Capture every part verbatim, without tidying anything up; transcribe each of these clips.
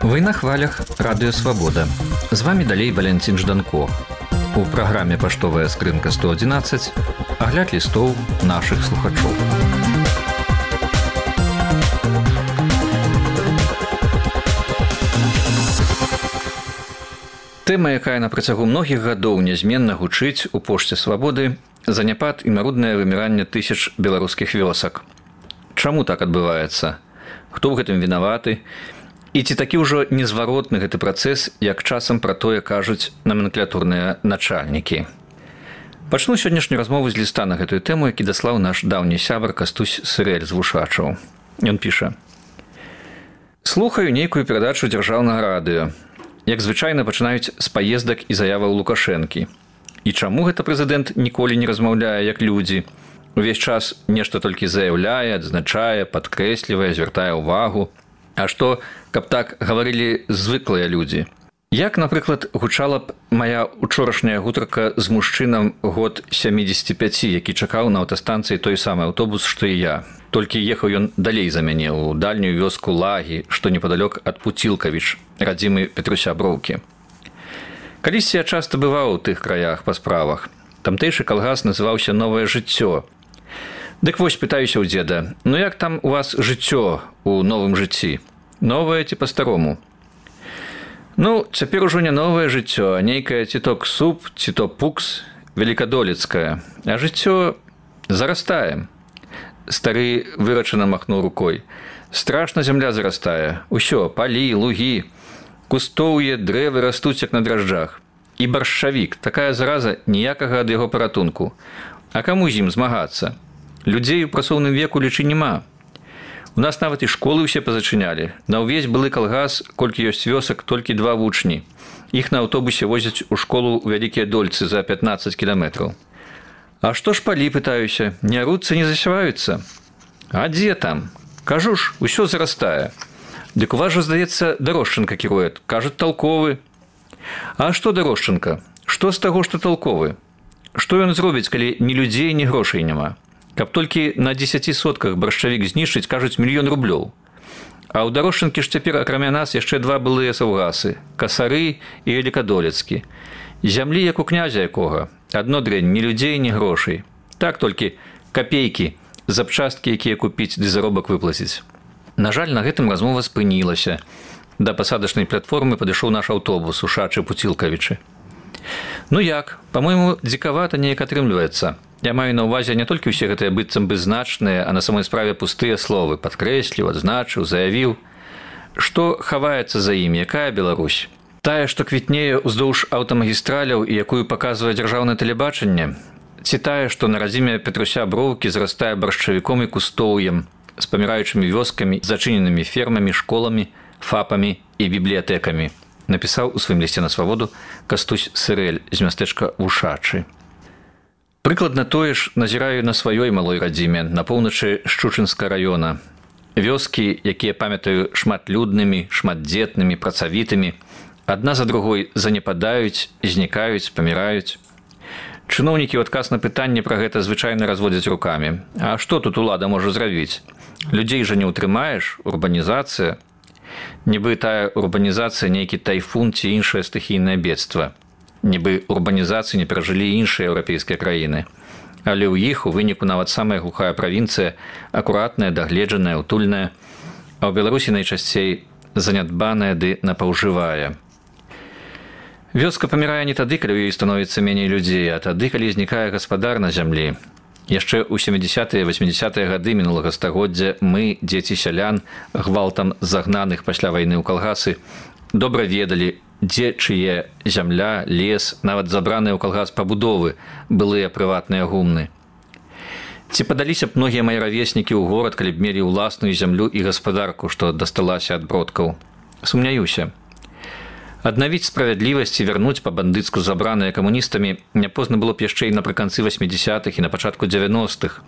Вы на хвалях Радыё Свабода. З вами далей Валянцін Жданко. У праграме «Паштовая скрынка сто одиннадцать» агляд лістоў нашых слухачоў. Тэма, якая на працягу многіх гадоў нязменна гучыць у пошце свабоды, заняпад і маруднае выміранне тысяч беларускіх вёсак. Чаму так адбываецца? Хто ў гэтым вінаваты? І ці такі ўжо незваротны гэты працэс, як часам пра тое кажуць наменклатурныя начальнікі. Пачну сённяшнюю размову з ліста на гэтую тэму, які даслаў наш даўні сябар Кастусь Сырэль з Вушачаў. Ён піша: «Слухаю нейкую перадачу дзяржаўнага радыё. Як звычайна пачынаюць з паездак і заяваў Лукашэнкі. І чаму гэта прэзідэнт ніколі не размаўляе як людзі? Увесь час нешта толькі заяўляе, адзначае, падкрэслівае, звяртае ўвагу. А што, каб так гаварылі звыклыя людзі? Як, напрыклад, гучала б мая учорашняя гутарка з мужчынам год сямідзесяці пяці, які чакаў на аўтастанцыі той самы аўтобус, што і я. Толькі ехаў ён далей за мяне, у дальнюю вёску Лагі, што непадалёк ад Пуцілкавіч, радзімы Петруся Броўкі. Калісьці я часта бываў у тых краях па справах. Тамтэйшы калгас называўся «Новае жыццё». Дык вось пытаюся ў дзеда: ну як там у вас жыццё у новым жыцці? Новае ці па-старому? Ну, цяпер ужо не новае жыццё, а нейкае ці то ксуп, ці то пукс, великадолецкае. А жыццё зарастае. Стары вырачана махнуў рукой. Страшна зямля зарастае. Усё, палі, лугі, кустоўе, дрэвы растуць як на дражджах. І баршчавік, такая зараза, ніякага ад яго паратунку. А каму з ім змагацца? Людзей у працоўным веку лічы няма. У нас нават і школы ўсе пазачынялі. На ўвесь былы калгас, колькі ёсць вёсак, толькі два вучні. Іх на аўтобусе возяць у школу ў Вялікія Дольцы за пятнаццаць кіламетраў. А што ж палі, пытаюся, не аруцца, не засяваюцца? А дзе там? Кажу ж, усё зарастае. Дык у вас жа, здаецца, Дарошчанка кіруе, кажуць, талковы. А што Дарошчанка? Што з таго, што талковы? Што ён зробіць, калі ні людзей, ні грошай няма? Каб толькі на дзесяці сотках баршчавік знішчыць, кажуць, мільён рублёў. А ў Дарошчанкі ж цяпер, акрамя нас, яшчэ два былыя саўгасы – Касары і Великадолецкі. Зямлі, як у князя якога. Адно дрэнь, ні людзей, ні грошай. Так толькі капейкі, запчасткі, якія купіць, ды заробак выплаціць. На жаль, на гэтым размова спынілася. Да пасадачнай платформы падышоў наш аўтобус у Шачы-Пуцілкавічы. Ну як, па-мойму, дзікавата неяк атрымліваецца. Я маю на ўвазе не толькі ўсе гэтыя быццам бы значныя, а на самой справе пустыя словы. Падкрэсліў, адзначыў, заявіў. Што хаваецца за ім, якая Беларусь? Тая, што квітнее ўздоўж аўтамагістраляў і якую паказвае дзяржаўнае тэлебачанне? Ці тая, што на радзіме Петруся Броўкі зарастае баршчавіком і кустоўем, з паміраючымі вёскамі, зачыненымі фермамі, школамі, фапамі і бібліятэкамі? Напісаў у сваім лісце на свабоду Кастусь Сырэль з мястэчка Вушачы. Прыкладна тое ж назіраю на сваёй малой радзіме, на поўначы Шчучынска раёна. Вёскі, якія памятаю шматлюднымі, шматдзетнымі, працавітымі, адна за другой занепадаюць, знікаюць, паміраюць. Чыноўнікі ў адказ на пытанне пра гэта звычайна разводзяць рукамі. А што тут улада можа зрабіць? Людзей жа не ўтрымаеш, урбанізацыя. Нібы тая урбанізацыя нейкі тайфун ці іншае стыхійнае бедства. Нібы урбанізацыі не перажылі іншыя еўрапейскія краіны. Але ў іх у выніку нават самая глухая правінцыя акуратная, дагледжаная, утульная, а ў Беларусі найчасцей занядбаная ды напаўжывая. Вёска памірае не тады, калі ў ёй становіцца меней людзей, а тады, калі знікае гаспадар на зямлі. Яшчэ ў сямідзесятыя, васьмідзесятыя гады мінулага стагоддзя мы, дзеці сялян, гвалтам загнаных пасля вайны ў калгасы, добра ведалі, дзе чые зямля, лес, нават забраныя ў калгас пабудовы, былыя прыватныя гумны. Ці падаліся б многія мае равеснікі ў горад, калі б мелі ўласную зямлю і гаспадарку, што дасталася ад бродкаў? Сумняюся. Аднавіць справядлівасць і вярнуць па-бандыцку забраныя камуністамі няпозна было б яшчэ і напрыканцы васьмідзесятых і на пачатку дзевяностых.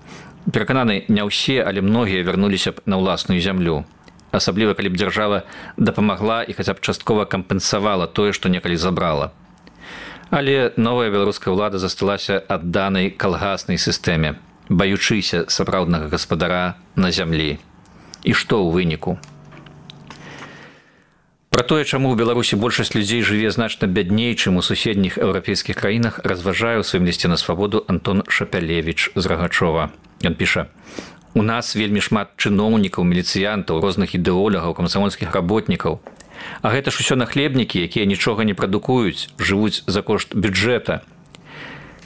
Перакананы, не ўсе, але многія вярнуліся б на ўласную зямлю. Асабліва, калі б дзяржава дапамагла і хаця б часткова кампенсавала тое, што некалі забрала. Але новая беларуская ўлада засталася адданай калгаснай сістэме. баючыся сапраўднага гаспадара на зямлі. І што ў выніку? Пра тое, чаму ў Беларусі большасць людзей жыве значна бядней, чым у суседніх еўрапейскіх краінах, разважае ў сваім лісце на свабоду Антон Шапялевіч з Рагачова. Ён піша: «У нас вельмі шмат чыноўнікаў, міліцыянтаў, розных ідэолагаў, камсамольскіх работнікаў. А гэта ж усё нахлебнікі, якія нічога не прадукуюць, жывуць за кошт бюджэта.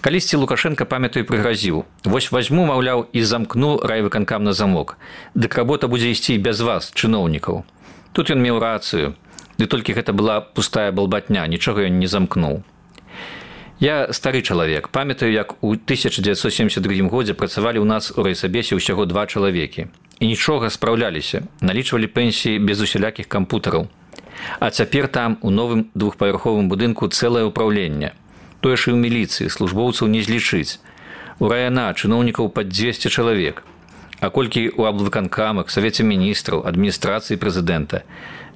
Калісьці Лукашенко, памятаю, прыгразіў: вось вазьму, маўляў, і замкну райвыканкам на замок. Дык работа будзе ісці без вас, чыноўнікаў. Тут ён меў рацыю. Ды толькі гэта была пустая балбатня, нічога ён не замкнуў. Я стары чалавек, памятаю, як у тысяча дзевяцьсот сем'дзесят другім годзе працавалі ў нас у райсабесе ўсяго два чалавекі. І нічога, спраўляліся, налічвалі пенсіі без усялякіх кампутараў. А цяпер там, у новым двухпавярховым будынку, цэлае ўпраўленне. Тое ж і ў міліцыі, службоўцаў не злічыць. У райана чыноўнікаў пад дзвесце чалавек. А колькі ў аблвыканкамах, савеце міністраў, адміністрацыі прэзідэнта.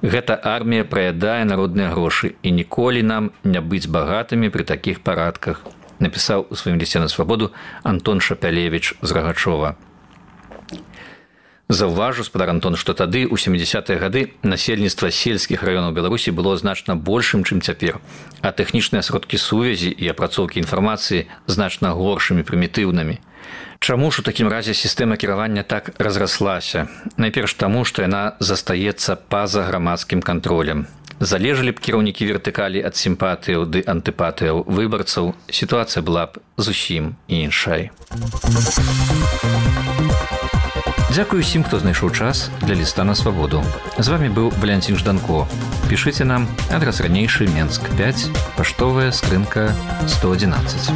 Гэта армія праядае народныя грошы, і ніколі нам не быць багатымі пры такіх парадках», напісаў у сваім лісце на свабоду Антон Шапялевіч з Рагачова. Заўважу, спадар Антон, што тады, у сямідзясятыя гады, насельніцтва сельскіх раёнаў Беларусі было значна большым, чым цяпер, а тэхнічныя сродкі сувязі і апрацоўкі інфармацыі значна горшымі, прымітыўнымі. Чаму ж у такім разе сістэма кіравання так разраслася? Найперш таму, што яна застаецца па-за грамадскім кантролем. Залежалі б кіраўнікі вертыкалі ад сімпатыяў ды антыпатыяў выбарцаў, сітуацыя была б зусім іншай. Дзякую усім, хто знайшоў час для ліста на свабоду. З вамі быў Валянцін Жданко. Пішыце нам, адрас ранейшы, Менск пяць, паштовая скрынка сто адзінаццаць.